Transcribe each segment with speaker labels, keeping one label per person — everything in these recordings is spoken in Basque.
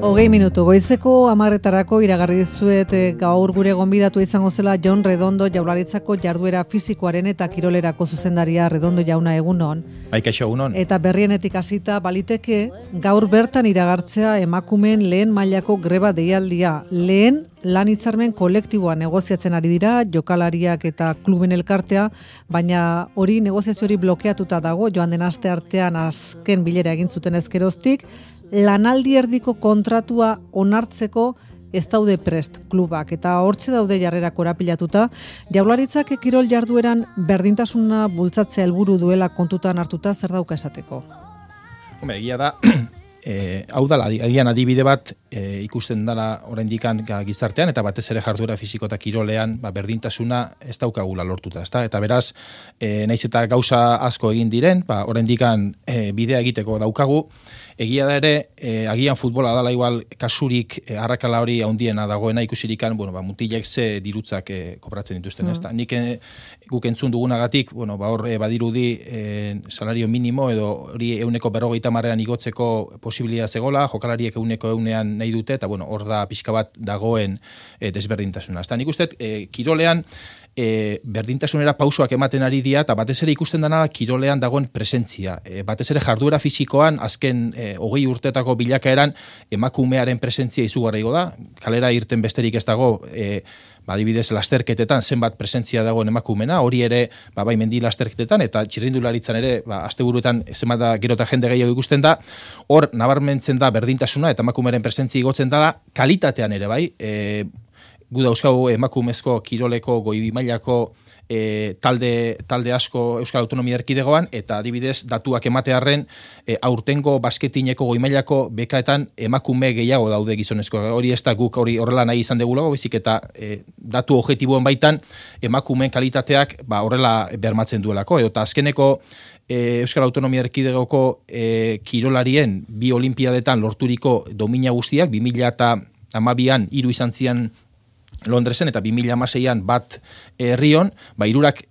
Speaker 1: 20 goizeko 10:00 iragarri dizuet gaur gure gonbidatu izango zela Jon Redondo, Jaurlaritzako jarduera fisikoaren eta kirolerako zuzendaria. Redondo jauna, egunon.
Speaker 2: Kaixo, egunon.
Speaker 1: Eta berrienetik hasita baliteke gaur bertan iragartzea emakumeen lehen mailako greba deialdia. Lehen lan hitzarmen kolektiboa negoziatzen ari dira, jokalariak eta kluben elkartea, baina hori negoziazio hori blokeatuta dago, joan den aste artean azken bilera egin zuten ezkeroztik. Lanaldi erdiko kontratua onartzeko ez daude prest klubak, eta hortze daude jarrera korapilatuta. Jaurlaritzak kirol jardueran berdintasuna bultzatzea helburu duela kontutan hartuta, zer dauka esateko?
Speaker 2: Egia da, hau da, agian adibide bat ikusten dela oraindikan gizartean, eta batez ere jarduera fisiko eta kirolean berdintasuna ez daukagula lortuta, ezta? Eta beraz, naiz eta gauza asko egin diren, oraindikan bidea egiteko daukagu. Egia da ere, agian futbola dala igual kasurik arrakala hori handiena dagoena ikusirikan, mutilek ze dirutzak kobratzen dituzten, ezta? Nik guk entzun dugunagatik, hor badirudi salario minimo edo hori 150 igotzeko posibilitatea zegola, jokalariek 100 nahi dute, eta hor da pixka bat dagoen desberdintasuna. Ezta nik uste, kirolean berdintasunera pausoak ematen ari dira, eta batez ere ikusten dena kirolean dagoen presentzia. Batez ere jarduera fisikoan, azken 20 urtetako bilakaeran emakumearen presentzia izugarri da. Kalera irten besterik ez dago, adibidez lasterketetan zenbat presentzia dagoen emakumena, hori ere bai mendi lasterketetan eta txirrindularitzan ere asteburuetan zenbat gero eta jende gehiago ikusten da. Hor nabarmentzen da berdintasuna eta emakumearen presentzia igotzen da, kalitatean ere bai. Gu dauzkagu emakumezko kiroleko goi mailako talde asko Euskal Autonomia Erkidegoan, eta adibidez datuak ematearren aurtengo basketineko goi mailako bekaetan emakume gehiago daude gizonezko. Hori ez da guk hori horrela nahi izan degulago, bizik eta datu objektiboen baitan emakumeen kalitateak horrela bermatzen duelako. Eta azkeneko Euskal Autonomia Erkidegoko kirolarien bi olimpiadetan lorturiko domina guztiak, 2012an 3 izan zian Londresen eta 2016an bat Rion, hirurak,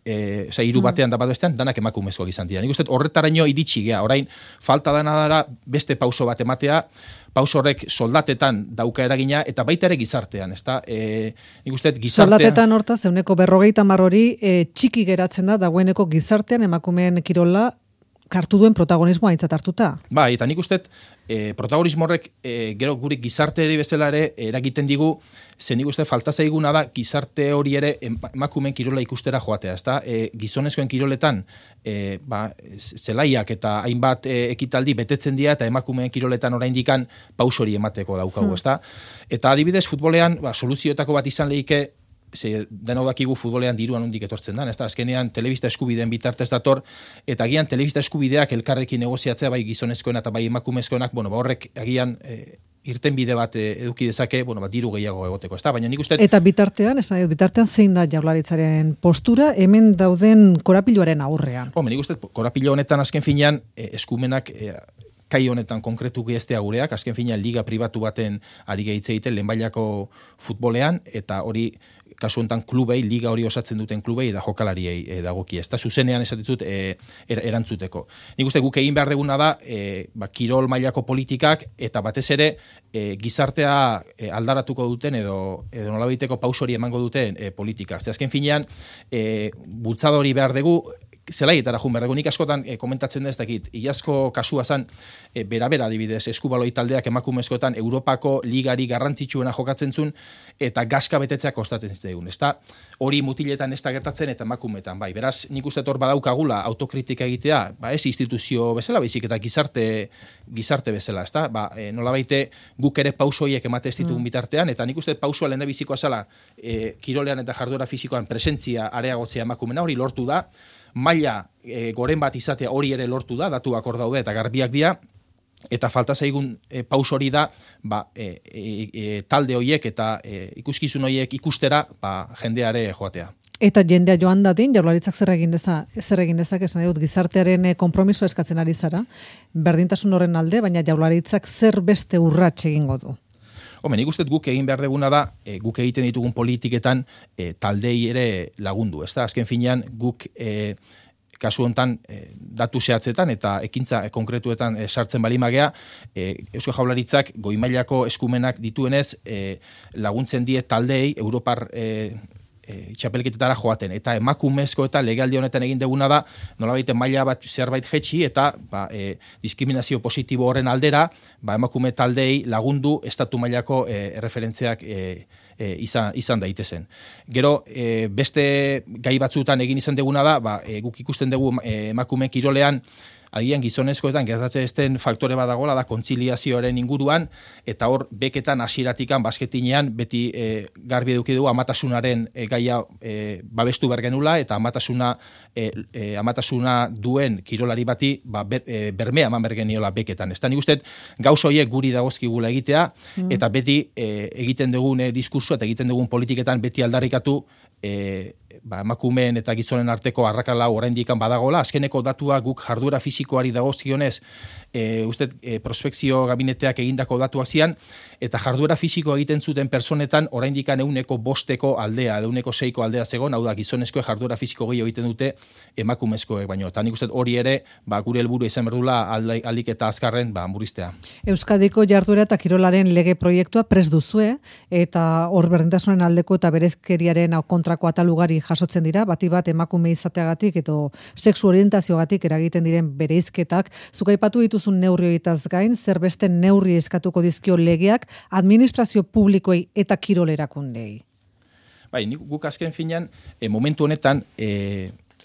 Speaker 2: hiru batean da bat bestean, danak emakumezkoak izan dira. Nik uste horretaraino iritsi gea, orain falta dana dara beste pauso bat ematea, pauso horrek soldatetan dauka eragina, eta baita ere gizartean, ezta? Nik uste gizartean...
Speaker 1: Soldatetan hortaz, 50% hori txiki geratzen da, dagoeneko gizartean emakumeen kirola hartu duen protagonismoa aintzat hartuta.
Speaker 2: Bai, eta nik uste protagonismo horrek gero gure gizarte ere bezala ere eragiten digu, ze nik uste falta zaiguna da gizarte hori ere emakumeen kirola ikustera joatea, ezta? Gizonezkoen kiroletan zelaiak eta hainbat ekitaldi betetzen dira, eta emakumeen kiroletan oraindikan pauso hori emateko daukagu, ezta? Eta adibidez futbolean soluzioetako bat izan lehike, denok dakigu futbolean diruan hondik etortzen da, ezta? Azkenean telebista eskubideen bitartez dator, eta agian telebista eskubideak elkarrekin negoziatzea bai gizonezkoen eta bai emakumezkoenak, horrek agian irten bide bat eduki dezake, diru gehiago egoteko, ezta? Baina nik uste...
Speaker 1: Eta bitartean zein da Jaurlaritzaren postura hemen dauden korapiloaren aurrean?
Speaker 2: Nik uste korapilo honetan azken finean eskumenak kai honetan konkretu geztea gureak, azken finean liga pribatu baten ari gehitze egiten lehenbailako futbolean, eta hori kasu honetan klubei, liga hori osatzen duten klubei eta jokalariei dagoki. Ez da zuzenean esatitut erantzuteko. Nik uste guk egin behar deguna da kirol mailako politikak eta batez ere gizartea aldaratuko duten edo nolabaiteko pausori emango duten politikak. Azken finean bultzadori behar dugu, zelaietara jun behar dugu. Nik askotan komentatzen da ez dakit, iazko kasua zan, bera adibidez, eskubaloi taldeak emakumezkoetan Europako ligari garrantzitsuena jokatzen zuen, eta gaska betetzea kostatzen zitzaigun. Hori mutiletan ez da gertatzen eta emakumetan. Beraz, nik uste hor badaukagula autokritika egitea, ez instituzio bezala, baizik eta gizarte bezala, ezta? Nolabaite guk ere pausoiek emate ez ditugun bitartean, eta nik uste pausoa lehen da bizikoa zela, kirolean eta jarduera fisikoan presentzia areagotzea emakumena, hori lortu da, maila goren bat izatea hori ere lortu da, datuak hor daude eta garbiak dira, eta falta zaigun paus hori da talde horiek eta ikuskizun horiek ikustera jendeare joatea.
Speaker 1: Eta jendea joan dadin, Jaurlaritzak zer egin dezak, esan dut, gizartearen konpromiso eskatzen ari zara, berdintasun horren alde, baina Jaurlaritzak zer beste urrats egingo du?
Speaker 2: Nik uste guk egin behar deguna da, guk egiten ditugun politiketan taldei ere lagundu, ezta? Azken finean guk kasu hontan datu zehatzetan eta ekintza konkretuetan sartzen balimagea, Eusko Jaurlaritzak goi mailako eskumenak dituenez laguntzen die taldeei Europar txapelketetara joaten. Eta emakumezko eta legealdi honetan egin deguna da, nolabait maila bat zerbait jetxi eta diskriminazio positibo horren aldera, emakume taldeei lagundu estatu mailako referentziak izan daitezen. Gero, beste gai batzutan egin izan deguna da, guk ikusten dugu emakume kirolean, agian gizonezkoetan gertatzen esten faktore badagola da kontziliazioaren inguruan, eta hor beketan hasieratikan basketinean beti garbi eduki dugu amatasunaren gaia babestu bergenula, eta amatasuna duen kirolari bati bermea eman bergeniola beketan. Ez da nik uste gauz horiek guri dagozkigula egitea, eta beti egiten dugun diskursua eta egiten dugun politiketan beti aldarrikatu emakumeen eta gizonen arteko arrakala oraindik badagola. Azkeneko datua guk jarduera fisikoari dagozkionez prospekzio gabineteak egindako datuak zian, eta jarduera fisiko egiten zuten personetan oraindik 105 aldea, 106 aldea zegoen, hau da gizonezkoek jarduera fisiko gehiago egiten dute emakumezkoek baino. Eta nik uste hori ere gure helburu izan berdula alik eta azkarren murriztea.
Speaker 1: Euskadiko jarduera eta kirolaren lege proiektua prest duzue, eta hor berdintasunen aldeko eta berezkeriaren kontrako atalugari jasotzen dira, bati bat emakume izateagatik edo sexu orientazioagatik eragiten diren bereizketak. Zuk aipatu dituzun neurri horietaz gain, zer beste neurri eskatuko dizkio legeak administrazio publikoei eta kirol erakundei?
Speaker 2: Guk azken finean, momentu honetan,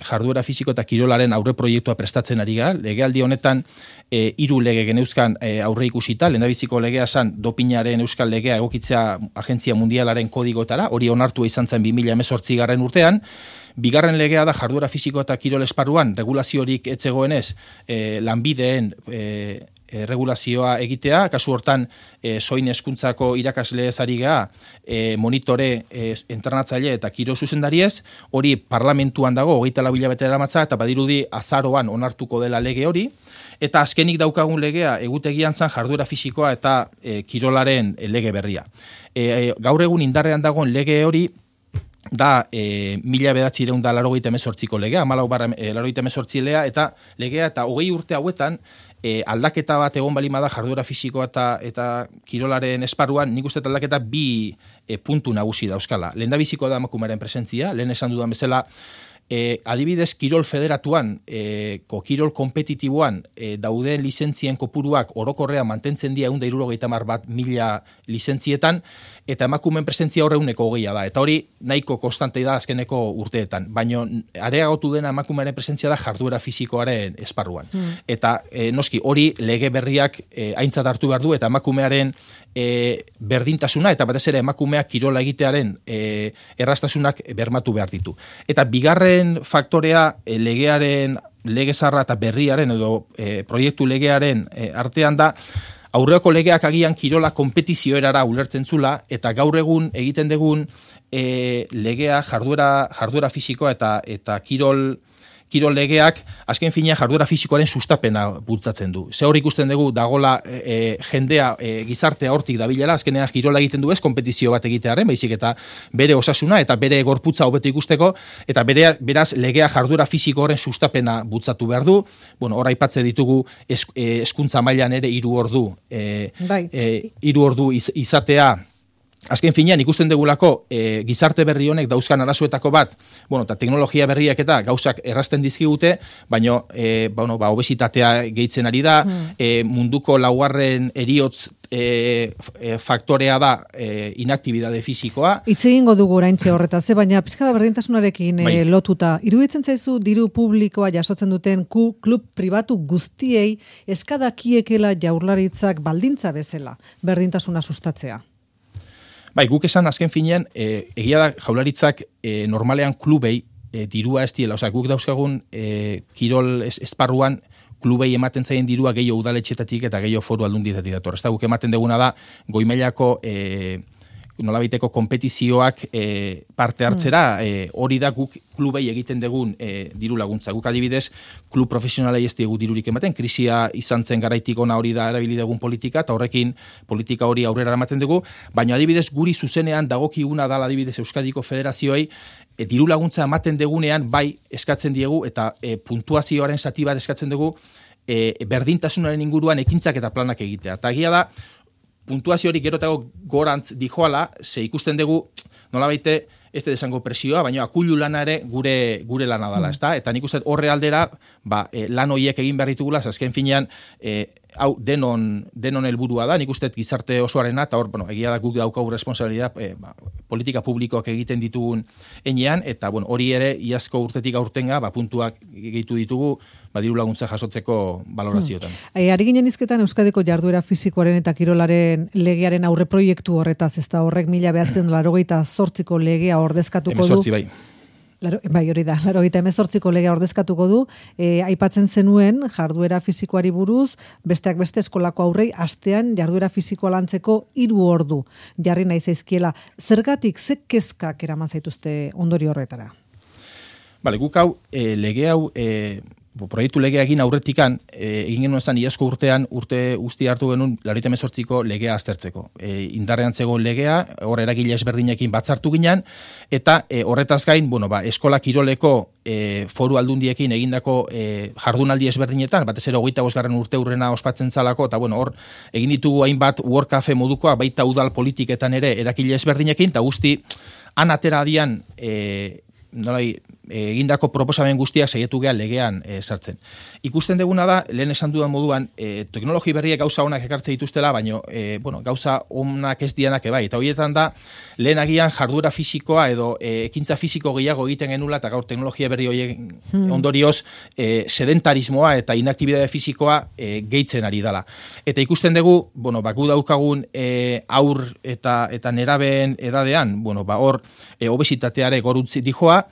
Speaker 2: jarduera fisiko eta kirolaren aurre proiektua prestatzen ari gara. Legealdi honetan 3 lege geneuzkan aurre ikusita, lehendabiziko legea zan dopinaren euskal legea egokitzea Agentzia Mundialaren kodigotara, hori onartua izan zen 2018 urtean. Bigarren legea da jarduera fisiko eta kirol esparruan regulaziorik etzegoenez lanbideen regulazioa egitea, kasu hortan soin hezkuntzako irakasle ezari geha, monitore entrenatzaile eta kirol zuzendariez, hori parlamentuan dago 24 hilabete daramatza, eta badirudi azaroan onartuko dela lege hori, eta azkenik daukagun legea egutegian zan jarduera fisikoa eta kirolaren lege berria. Gaur egun indarrean dagoen lege hori da 1988ko legea, 14/88 legea, eta legea eta 20 urte hauetan aldaketa bat egon balima da jarduera fisikoa eta kirolaren esparruan, nik uste aldaketa 2 puntu nagusi dauzkala. Lehendabiziko da emakumearen presentzia, lehen esan dudan bezala, adibidez kirol federatuan, kirol kompetitiboan dauden lizentzien kopuruak orokorrean mantentzen dira 171.000 lizentzietan, eta emakumeen presentzia horre 120 da, eta hori nahiko konstante da azkeneko urteetan, baina areagotu dena emakumearen presentzia da jarduera fisikoaren esparruan. Eta noski hori lege berriak aintzat hartu behar du, eta emakumearen berdintasuna, eta batez ere emakumeak kirola egitearen errastasunak bermatu behar ditu. Eta bigarren faktorea lege zarra eta berriaren edo proiektu legearen artean da, aurreko legeak agian kirola konpetizioerara ulertzen zula, eta gaur egun egiten dugun legea jarduera fisikoa eta kirol legeak azken fina jarduera fisikoaren sustapena bultzatzen du. Ze hor ikusten dugu dagola jendea gizartea hortik dabilela, azkenean kirola egiten du ez konpetizio bat egitearen, baizik eta bere osasuna eta bere gorputza hobeto ikusteko, eta beraz legea jarduera fisiko horren sustapena bultzatu behar du. Hor aipatze ditugu hezkuntza mailan ere 3 ordu izatea. Azken finean ikusten degulako gizarte berri honek dauzkan arazoetako bat, eta teknologia berriak eta gauzak errazten dizkigute, baina obesitatea gehitzen ari da, munduko 2. heriotz faktorea da inaktibidade fisikoa.
Speaker 1: Hitz egingo dugu oraintxe horretaz, baina pixka berdintasunarekin lotuta. Iruditzen zaizu diru publikoa jasotzen duten klub pribatu guztiei eskadakiekela Jaurlaritzak baldintza bezala berdintasuna sustatzea?
Speaker 2: Guk esan azken finean, egia da Jaurlaritzak normalean klubei dirua ez diela, guk dauzkagun kirol esparruan klubei ematen zaien dirua gehiago udaletxetatik eta gehiago foru aldundietatik dator. Guk ematen deguna da goi mailako nolabaiteko kompetizioak parte hartzera, hori da guk klubei egiten dugun diru laguntza. Guk adibidez, klub profesionalei ez diegu dirurik ematen, krisia izan zen garaitik ona hori da erabili dugun politika, eta horrekin politika hori aurrera ematen dugu, baina adibidez guri zuzenean dagokiguna dala adibidez Euskadiko Federazioei, diru laguntza ematen degunean bai eskatzen diegu, eta puntuazioaren zati bat eskatzen dugu, berdintasunaren inguruan ekintzak eta planak egitea. Eta egia da, puntuazio hori gerotago gorantz dijoala, ze ikusten dugu, nolabaite, ez desango presioa, baina akullu lana ere gure lana dala, ezta? Eta nik uste horre aldera, lan horiek egin behar ditugula, azken finean, hau denon helburua da, nik uste gizarte osoarena, eta hor, egia da guk daukagu responsabilidad, politika publikoak egiten ditugun enean, eta hori ere, iazko urtetik aurtenga, puntuak gehitu ditugu, diru laguntza jasotzeko valorazioetan.
Speaker 1: Ari ginen izketan Euskadiko jarduera fisikoaren eta kirolaren legearen aurre proiektu horretaz, ez da horrek 1988ko legea ordezkatuko du.
Speaker 2: 18 bai.
Speaker 1: Bai, hori da, 1988ko legea ordezkatuko du, aipatzen zenuen jarduera fisikoari buruz, besteak beste eskolako aurrei astean jarduera fisikoa lantzeko 3 ordu jarri nahi zaizkiela. Zergatik, ze kezkak eraman zaituzte ondori horretara?
Speaker 2: Bale, guk hau, lege hau, proiektu legea egin aurretikan, egin genuen zan iazko urtean, urte guzti hartu genuen 98ko legea aztertzeko. Indarrean zegoen legea, hor eragile ezberdinekin batzartu ginen, eta horretaz gain, eskola kiroleko foru aldundiekin egindako jardunaldi ezberdinetan, batez ere 25. urte urrena ospatzen zalako, eta hor egin ditugu hainbat World Cafe modukoa, baita udal politiketan ere eragile ezberdinekin, eta guzti han atera adian egindako proposamen guztiak saietu gea legean sartzen. Ikusten deguna da, lehen esan dudan moduan, teknologi berriek gauza onak ekartze dituztela, baina gauza onak ez dianak ebai. Eta horietan da, lehen agian jarduera fisikoa edo ekintza fisiko gehiago egiten genula, eta gaur teknologia berri horiek ondorioz sedentarismoa eta inaktibidade fisikoa gehitzen ari dela. Eta ikusten dugu, gu daukagun aur eta nerabeen edadean, hor obesitateare goruntzi dijoa,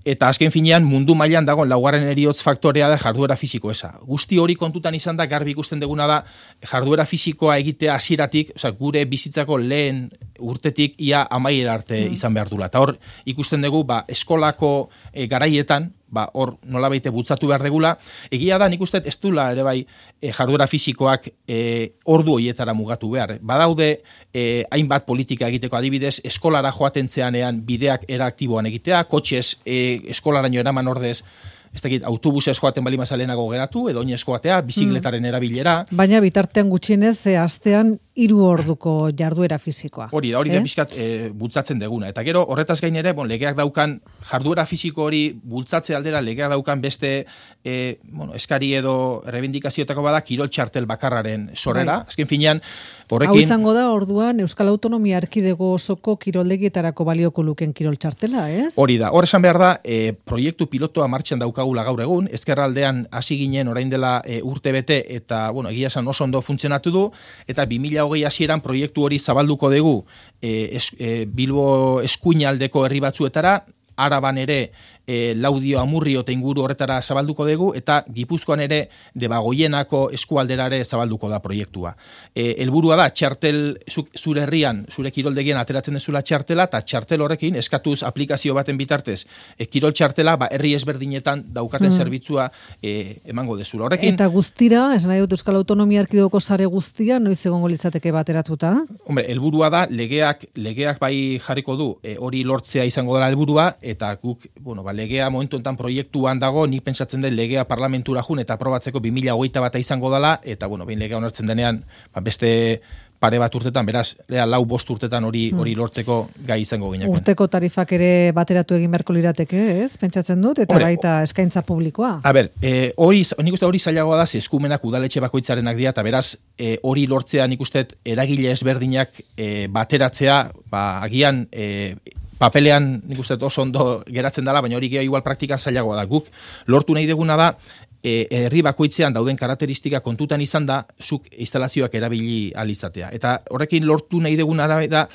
Speaker 2: eta azken finean mundu mailan dagoen laugarren heriotz faktorea da jarduera fisiko eza. Guzti hori kontutan izan da, garbi ikusten deguna da, jarduera fisikoa egitea hasieratik, gure bizitzako lehen urtetik ia amaiera arte izan behar dula. Eta hor ikusten dugu, eskolako garaietan, hor nolabaite bultzatu behar degula. Egia da, nik uste ez dula ere bai jarduera fisikoak ordu horietara mugatu behar. Badaude hainbat politika egiteko adibidez, eskolara joaten zeanean bideak eraktiboan egitea, kotxez eskolaraino eraman ordez, ez dakit, autobusez joaten bali mazalenago geratu, edo oinez joatea, bizikletaren erabilera.
Speaker 1: Baina bitartean gutxienez, astean 3 orduko jarduera fisikoa.
Speaker 2: Hori da pixkat bultzatzen deguna. Eta gero, horretaz gain ere, legeak daukan, jarduera fisiko hori bultzatze aldera, legeak daukan beste eskari edo rebendikazioetako bada, kirol txartel bakarraren sorrera. Azken finean, horrekin...
Speaker 1: Hau izango da, orduan, Euskal Autonomia Erkidego osoko kiroldegietara balioko luken kirol txartela, ez?
Speaker 2: Hori da, hor esan behar da, proiektu pilotoa martxan daukagula gaur egun, ezkerraldean hasi ginen orain dela urte bete, eta, egia esan oso ondo funtzionatu du, eta 2020 hasieran proiektu hori zabalduko dugu Bilbo eskuinaldeko herri batzuetara, Araban ere Laudio, Amurrio eta inguru horretara zabalduko dugu, eta Gipuzkoan ere Debagoienako eskualderare zabalduko da proiektua. Helburua da, txartel zure herrian, zure kiroldegien ateratzen dezula txartela, eta txartel horrekin, eskatuz aplikazio baten bitartez, kirol txartela, herri ezberdinetan daukaten zerbitzua emango dezula. Horrekin,
Speaker 1: eta guztira, esan nahi dut Euskal Autonomia Erkidegoko sare guztia, noiz egongo litzateke bateratuta?
Speaker 2: Hombre, helburua da, legeak bai jarriko du, hori lortzea izango dela helburua, eta guk, legea momentu enten proiektuan dago, nik pentsatzen den legea parlamentura jun eta aprobatzeko 2021 izango dela, eta behin legea onartzen denean, beste pare bat urtetan, beraz, 4-5 urtetan hori lortzeko gai izango ginean.
Speaker 1: Urteko tarifak ere bateratu egin beharko lirateke, ez? Pentsatzen dut, eta baita eskaintza publikoa.
Speaker 2: A ber, nik uste hori zailagoa da, eskumenak udaletxe bakoitzarenak dira, eta beraz, hori lortzea nik uste eragile ezberdinak bateratzea, agian papelean nik uste oso ondo geratzen dela, baina hori gehiago igual praktikan zailagoa da. Guk lortu nahi deguna da, herri bakoitzean dauden karakteristika kontutan izan da, zuk instalazioak erabili alizatea. Eta horrekin lortu nahi dugun da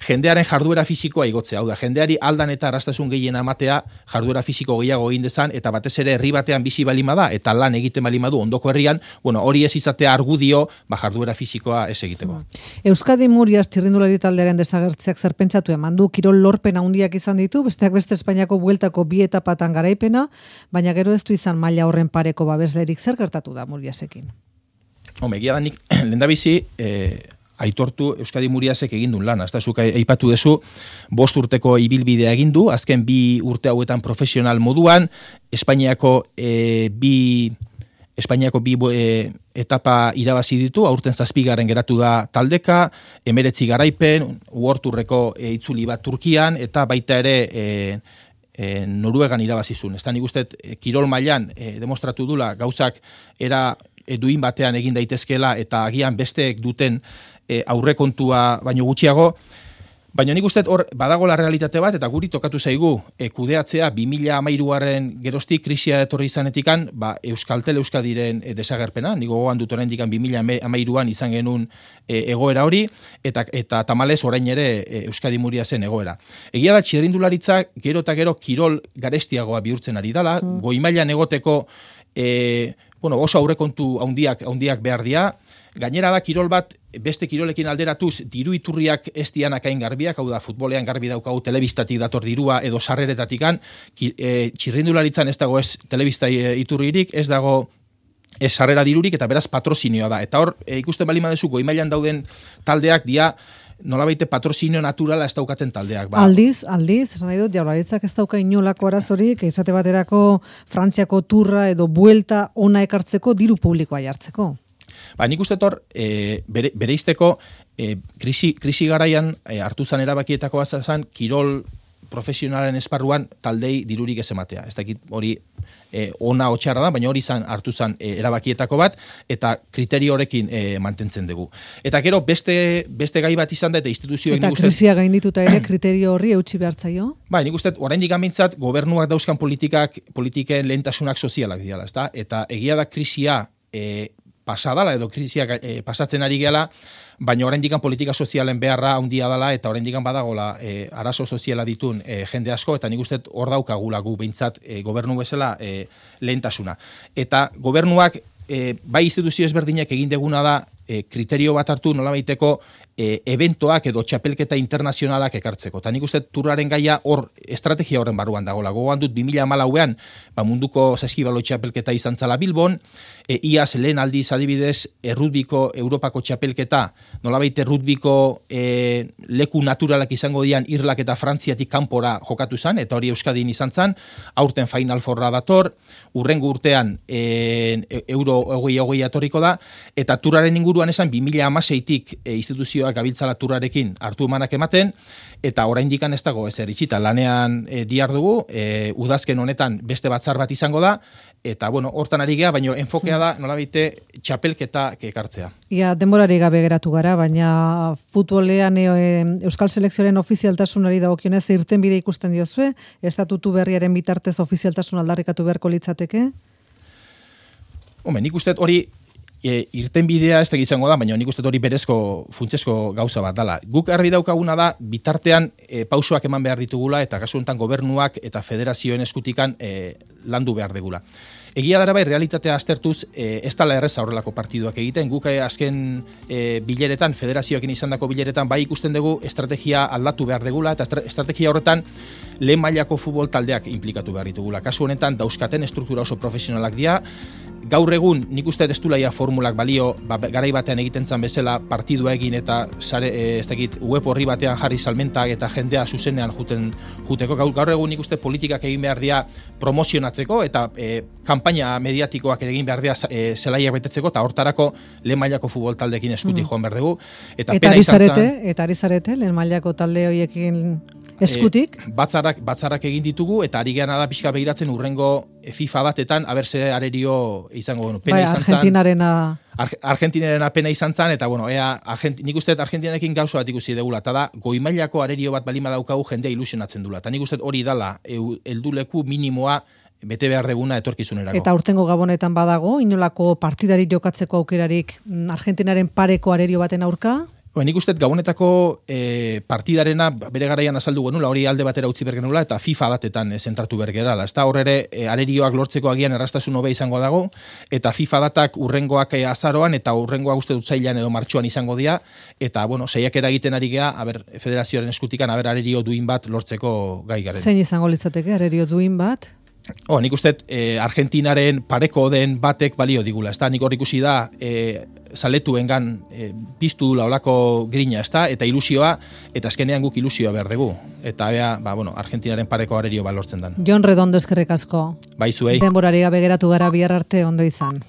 Speaker 2: jendearen jarduera fisikoa igotzea. Hau da, jendeari aldan eta arrastasun gehien amatea jarduera fisiko gehiago egin dezan, eta batez ere herri batean bizi balima da, eta lan egiten balima du ondoko herrian, hori ez izatea argudio, jarduera fisikoa ez egiteko.
Speaker 1: Euskadi Murias txirrindulari taldearen desagertzeak zer pentsatu eman du, kirol lorpen handiak izan ditu, besteak beste Espainiako bueltako 2 etapatan garaipena, baina gero ez du izan maila horren pareko babeslerik. Zer gertatu da Muriasekin?
Speaker 2: Egia da nik lehendabizi aitortu Euskadi Muriasek egin duen lan. Azta zuk aipatu dezu, 5 urteko ibilbidea egin du, azken 2 urte hauetan profesional moduan, Espainiako 2 etapa irabazi ditu, aurten 7. geratu da taldeka, 19 garaipen, uorturreko itzuli bat Turkian, eta baita ere Noruegan irabazizun. Ez da nik uste kirol mailan demostratu dula gauzak era duin batean egin daitezkela eta agian besteek duten aurrekontua baino gutxiago. Baina nik uste hor badagola realitate bat eta guri tokatu zaigu kudeatzea 2013 geroztik krisia etorri izanetikan Euskaltel Euskadiren desagerpena. Nik gogoan dut oraindik 2013an izan genuen egoera hori eta tamalez orain ere Euskadi Muriasen egoera. Egia da txirrindularitza gero eta gero kirol garestiagoa bihurtzen ari dala, goi mailan egoteko oso aurrekontu handiak behar dira. Gainera da kirol bat beste kirolekin alderatuz diru iturriak ez dianak hain garbiak, hau da futbolean garbi daukagu telebistatik dator dirua edo sarreretatikan, txirrindularitzan ez dago ez telebista iturririk, ez dago ez sarrera dirurik eta beraz patrozinioa da. Eta hor ikusten balima dezu goi mailan dauden taldeak dia nolabaite patrozinio naturala ez daukaten taldeak.
Speaker 1: Aldiz, esan nahi dut, Jaurlaritzak ez dauka inolako arazorik, esate baterako Frantziako turra edo buelta ona ekartzeko diru publikoa jartzeko.
Speaker 2: Nik uste hor, bereizteko krisi garaian hartu zan erabakietako bazazan, kirol profesionalen esparruan taldei dirurik ez ematea. Ez dakit hori ona otxarra da, baina hori hartu zan erabakietako bat, eta kriterio horrekin mantentzen dugu. Eta gero beste gai bat izan da, eta instituzioek
Speaker 1: nik uste... Eta krisia gaindituta ere kriterio horri eutxi behartzaio?
Speaker 2: Nik uste oraindik gamintzat gobernuak dauzkan politiken lehentasunak sozialak diala, ezta? Eta egia da krisia pasadala edo krisiak pasatzen ari gehala, baina oraindik politika sozialen beharra handia dela eta oraindik badagola arazo soziala ditun jende asko, eta nik uste hor daukagula gu behintzat gobernu bezala lehentasuna. Eta gobernuak bai instituzio ezberdinak egin deguna da kriterio bat hartu nolabaiteko eventoak edo txapelketa internazionalak ekartzeko. Eta nik uste turraren gaia hor estrategia horren barruan dagoela. Gogoan dut 2014an munduko saskibalo txapelketa izan zala Bilbon, iaz lehen aldiz adibidez errutbiko Europako txapelketa, nolabait errutbiko leku naturalak izango dian Irlak eta Frantziatik kanpora jokatu zan, eta hori Euskadin izan zan, aurten Final Fourra dator, urrengo urtean Euro 2020 atorriko da, eta turraren inguruan esan 2016tik instituzioak gabiltzala turrarekin hartu emanak ematen, eta oraindik ez dago ezer itxita, lanean dihardugu, udazken honetan beste batzar bat izango da, eta hortan ari gea, baina enfokea da nolabite txapelketa ekartzea.
Speaker 1: Ia, denborari gabe geratu gara, baina futbolean Euskal Selekzioaren ofizialtasunari dagokionez irtenbide ikusten diozue, estatutu berriaren bitartez ofizialtasun aldarrikatu beharko litzateke? Nik
Speaker 2: uste hori irtenbidea ez da izango da, baina nik uste hori berezko funtsesko gauza bat dala. Guk argi daukaguna da, bitartean pausoak eman behar ditugula, eta kasu honetan gobernuak eta federazioen eskutikan landu behar degula. Egia dara bai, realitatea aztertuz, ez dala erreza horrelako partiduak egiten, guk azken bileretan, federazioekin izandako bileretan, bai ikusten dugu estrategia aldatu behar degula, eta estrategia horretan lehen mailako futbol taldeak implikatu behar ditugula. Kasu honetan, dauzkaten struktura oso profesionalak dira, gaur egun nik uste ez dulaia formulak balio, garai batean egiten zan bezala partidua egin eta web horri batean jarri salmentak eta jendea zuzenean juteko. Gaur egun nik uste politikak egin behar dira promozionatzeko eta kanpaina mediatikoak egin behar dira zelaiak betetzeko, eta hortarako lehen mailako futbol taldeekin eskuti joan behar dugu. Eta
Speaker 1: ari zarete lehen mailako talde horiekin eskutik?
Speaker 2: Batzarrak egin ditugu, eta ari geana da pixka behiratzen urrengo FIFA batetan, aberse arerio izango genu. Argentinarena pena izan zan, eta nik uste Argentinarekin gauza bat ikusi degula, eta da, goimailako arerio bat balima daukagu jendea ilusionatzen dula. Eta nik uste hori dala, helduleku minimoa bete behar deguna etorkizunerako.
Speaker 1: Eta urtengo Gabonetan badago, inolako partidari jokatzeko aukerarik Argentinaren pareko arerio baten aurka?
Speaker 2: Nik uste Gabonetako partidarena bere garaian azaldu genula, hori alde batera utzi bergenula, eta FIFA datetan zentratu bergerala. Ez da hor ere arerioak lortzeko agian errastasun hobe izango dago, eta FIFA datak urrengoak azaroan, eta urrengoak uste dut zailan edo martxoan izango dira, eta saiakera egiten ari gea, federazioaren eskutikan, arerio duin bat lortzeko gai garen.
Speaker 1: Zein izango litzateke arerio duin bat?
Speaker 2: Nik uste Argentinaren pareko den batek balio digula, ez da, nik hor ikusi da zaletuengan piztu dula olako grina, ez da, eta ilusioa, eta azkenean guk ilusioa behar dugu, eta Argentinaren pareko arerio balortzen dan.
Speaker 1: Jon Redondo eskerrik asko.
Speaker 2: Bai zuei.
Speaker 1: Denborari gabe geratu gara bihar arte ondo izan.